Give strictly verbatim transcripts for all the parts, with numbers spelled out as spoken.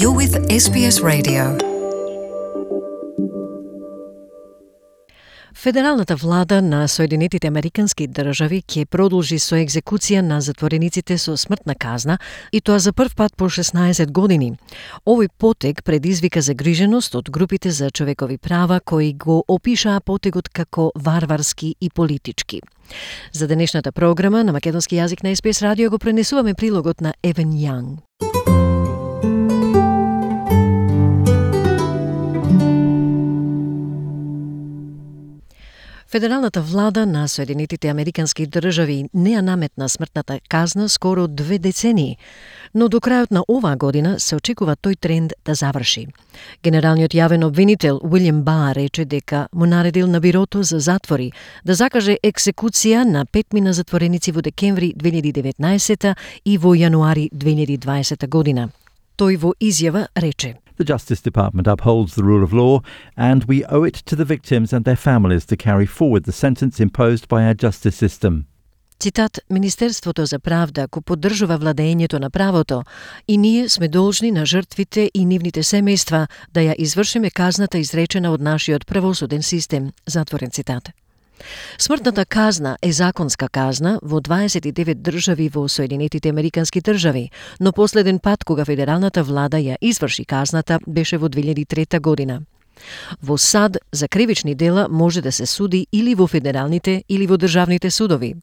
You're with S B S Radio. Федералната влада на Соединетите Американски држави ќе продолжи со екзекуција на затворениците со смртна казна, и тоа за прв пат по шеснаесет години. Овој потег предизвика загриженост од групите за човекови права кои го опишаа потегот како варварски и политички. За денешната програма на македонски јазик на С Б С радио го пренесуваме прилогот на Евен Јанг. Федералната влада на Соединетите Американски држави не ја наметна смртната казна скоро две децении, но до крајот на оваа година се очекува тој тренд да заврши. Генералниот јавен обвинител Уилјам Бар рече дека му наредил на бирото за затвори да закаже екзекуција на петмина затвореници во декември две илјади и деветнаесета и во јануари две илјади и дваесета година. Тој во изјава рече: The Justice Department upholds the rule of law, and we owe it to the victims and their families to carry forward the sentence imposed by our justice system. Цитат: Министерството за правда го поддржува владењето на правото и ние сме должни на жртвите и нивните семејства да ја извршиме казната изречена од нашиот правосуден систем. Затворен цитат. Смртната казна е законска казна во дваесет и девет држави во Соединетите Американски држави, но последен пат кога федералната влада ја изврши казната беше во две илјади и трета година. Во САД за кривични дела може да се суди или во федералните или во државните судови.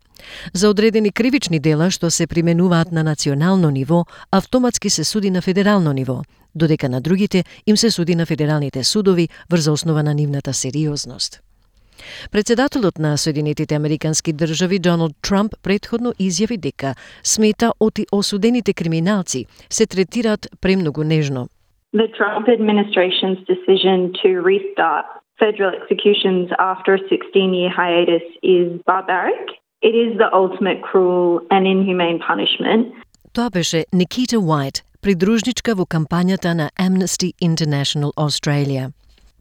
За одредени кривични дела што се применуваат на национално ниво, автоматски се суди на федерално ниво, додека на другите им се суди на федералните судови врз основа на нивната сериозност. Председателот на Соединетите Американски држави Доналд Трамп претходно изјави дека смета оти осудените криминалци се третираат премногу нежно. The Trump administration's decision to restart federal executions after a sixteen-year hiatus is barbaric. It is the ultimate cruel and inhumane punishment. Тоа беше Никита Уајт, придружничка во кампањата на Amnesty International Australia.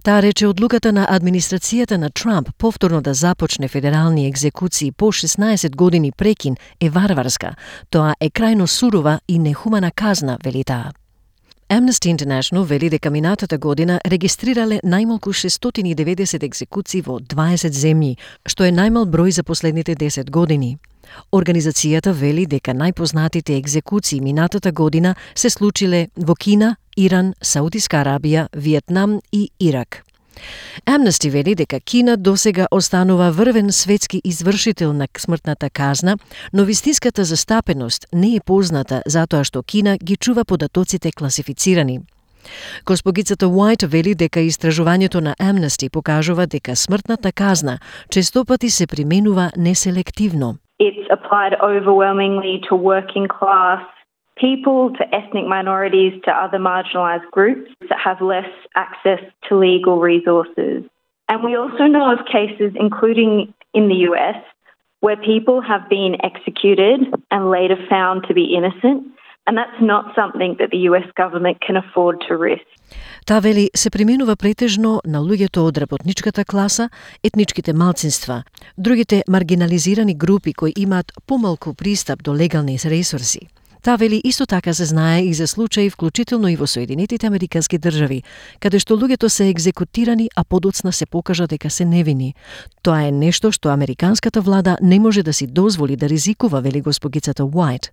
Таа рече одлуката на администрацијата на Трамп повторно да започне федерални екзекуции по шеснаесет години прекин е варварска. Тоа е крајно сурова и нехумана казна, вели таа. Amnesty International вели дека минатата година регистрирале најмалку шестстотини и деветдесет екзекуции во дваесет земји, што е најмал број за последните десет години. Организацијата вели дека најпознатите екзекуции минатата година се случиле во Кина, Иран, Саудиска Арабија, Виетнам и Ирак. Amnesty вели дека Кина досега останува врвен светски извршител на смртната казна, но вистинската застапеност не е позната затоа што Кина ги чува податоците класифицирани. Госпогицата Уајт вели дека истражувањето на Amnesty покажува дека смртната казна честопати се применува неселективно. It's applied overwhelmingly to working class people, to ethnic minorities, to other marginalised groups that have less access to legal resources. And we also know of cases, including in the U S, where people have been executed and later found to be innocent, and that's not something that the U S government can afford to risk. Таа вели се применува претежно на луѓето од работничката класа, етничките малцинства, другите маргинализирани групи кои имаат помалку пристап до легални ресурси. Таа вели исто така се знае и за случаи вклучително и во Соединетите Американски држави, каде што луѓето се екзекутирани, а подоцна се покажа дека се невини. Тоа е нешто што американската влада не може да си дозволи да ризикува, вели госпогицата Уајт.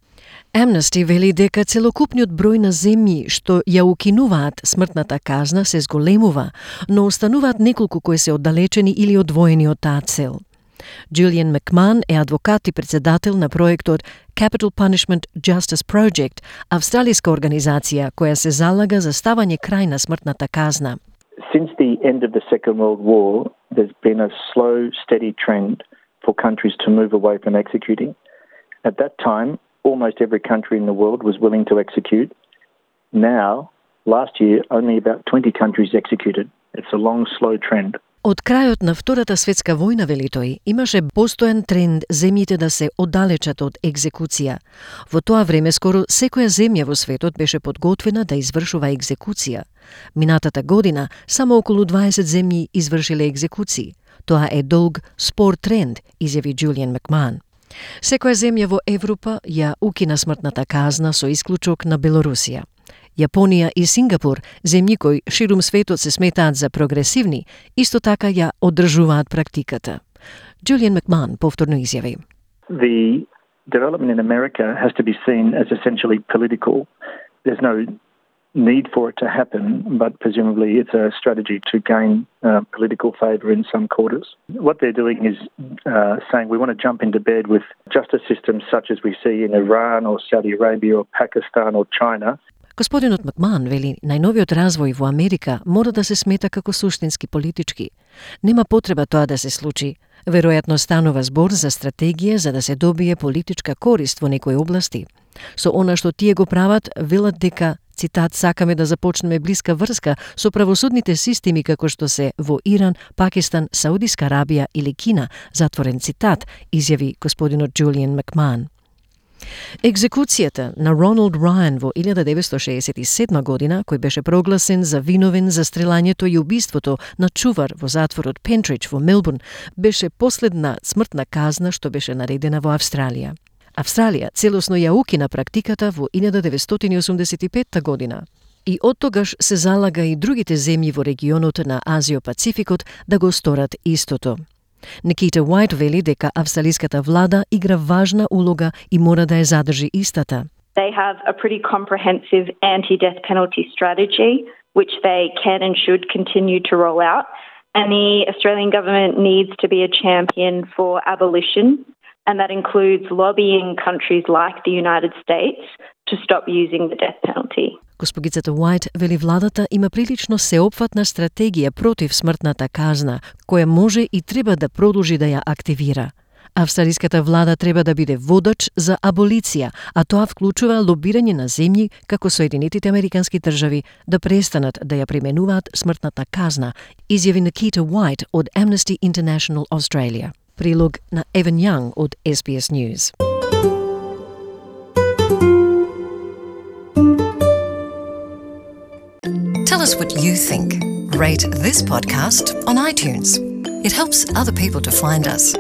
Amnesty вели дека целокупниот број на земји што ја укинуваат смртната казна се зголемува, но остануваат неколку кои се оддалечени или одвоени од таа цел. Джулијан Макман е адвокат и председател на проектот Capital Punishment Justice Project, австралиска организација која се залага за ставање крај на смртната казна. Since the end of the Second World War, there's been a slow, steady trend for countries to move away from executing. At that time, almost every country in the world was willing to execute. Now, last year, only about twenty countries executed. It's a long, slow trend. Од крајот на Втората светска војна, вели тој, имаше постојан тренд земјите да се оддалечат од екзекуција. Во тоа време скоро секоја земја во светот беше подготвена да извршува екзекуција. Минатата година само околу дваесет земји извршиле екзекуции. Тоа е долг, спор тренд, изјави Джулијан Макман. Секоја земја во Европа ја укина смртната казна со исклучок на Белорусија. Јапонија и Сингапур, земји кои ширум светот се сметаат за прогресивни, исто така ја одржуваат практиката. Julian McMahon повторно изјави. The development in America has to be seen as essentially political. There's no need for it to happen, but presumably it's a strategy to gain uh, political favour in some quarters. What they're doing is uh, saying we want to jump into bed with justice systems such as we see in Iran or Saudi Arabia or Pakistan or China. Господинот Макман вели, најновиот развој во Америка мора да се смета како суштински политички. Нема потреба тоа да се случи. Веројатно станува збор за стратегија за да се добие политичка корист во некои области. Со она што тие го прават, велат дека, цитат, сакаме да започнеме блиска врска со правосудните системи како што се во Иран, Пакистан, Саудиска Арабија или Кина, затворен цитат, изјави господинот Julian McMahon. Екзекуцијата на Роналд Рајан во илјада деветстотини шеесет и седма година, кој беше прогласен за виновен за стрелањето и убиството на чувар во затворот Пентридж во Мелбурн, беше последна смртна казна што беше наредена во Австралија. Австралија целосно ја укина практиката во илјада деветстотини осумдесет и петта година. И оттогаш се залага и другите земји во регионот на Азио-Пацификот да го сторат истото. Никита Уајт вели дека австралиската влада игра важна улога и мора да ја задржи истата. They have a pretty comprehensive anti-death penalty strategy, which they can and should continue to roll out. And the Australian government needs to be a champion for abolition, and that includes lobbying countries like the United States to stop using the death penalty. Госпогицата Уајт вели владата има прилично сеопфатна стратегија против смртната казна, која може и треба да продолжи да ја активира. Австралиската влада треба да биде водач за аболиција, а тоа вклучува лобирање на земји како Соединетите Американски држави да престанат да ја применуваат смртната казна, изјави Никита Уајт од Amnesty International Australia. Прилог на Evan Young од S B S News. Tell us what you think. Rate this podcast on iTunes. It helps other people to find us.